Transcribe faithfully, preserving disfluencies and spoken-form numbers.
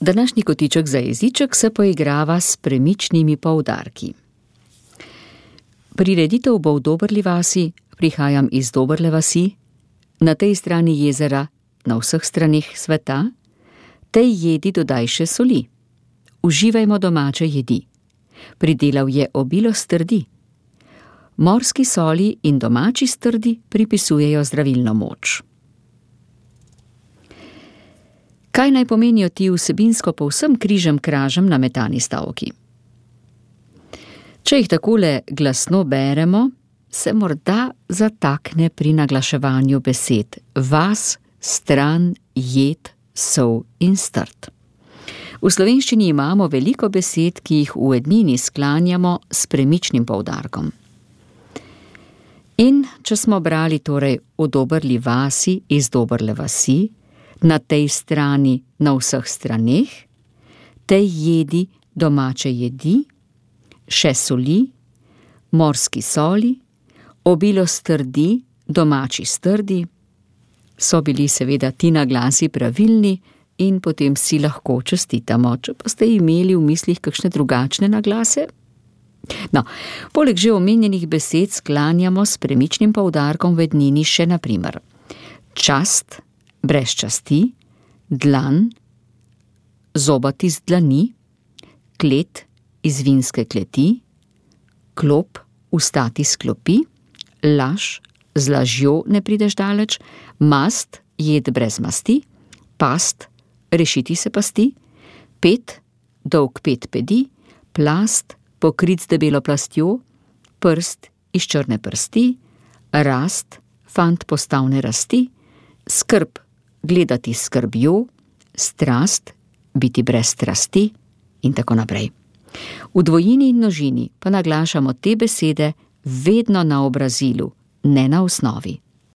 Današnji kotiček za jeziček se poigrava s premičnimi poudarki. Prireditev bo v Dobrli vasi, prihajam iz Dobrle vasi, na tej strani jezera, na vseh straneh sveta, tej jedi dodaj še soli. Uživajmo domače jedi. Pridelal je obilo strdi. Morski soli in domači strdi pripisujejo zdravilno moč. Kaj naj pomenijo ti vsebinsko povsem križem kražem nametani stavki? Če jih takole glasno beremo, se morda zatakne pri naglaševanju besed vas, stran, jed, sol in strt. V slovenščini imamo veliko besed, ki jih v ednini sklanjamo s premičnim poudarkom. In če smo brali torej v Dobrli vasi iz Dobrle vasi, na tej strani, na vseh straneh, tej jedi, domače jedi, še soli, morski soli, obilo strdi, domači strdi, so bili seveda ti naglasi pravilni in potem si lahko čestitamo. Če pa ste imeli v mislih kakšne drugačne naglase? No, poleg že omenjenih besed sklanjamo s premičnim poudarkom v ednini še na primer čast, brez časti, dlan, zobati z dlani, klet iz vinske kleti, klop, ustati s klopi, laž, z lažjo ne prideš daleč, mast, jed brez masti, past, rešiti se pasti, pet, dolg pet pedi, plast, pokrit z debelo plastjo, prst iz črne prsti, rast, fant postavne rasti, skrb, gledati s skrbjo, strast, biti brez strasti in tako naprej. V dvojini in množini pa naglašamo te besede vedno na obrazilu, ne na osnovi.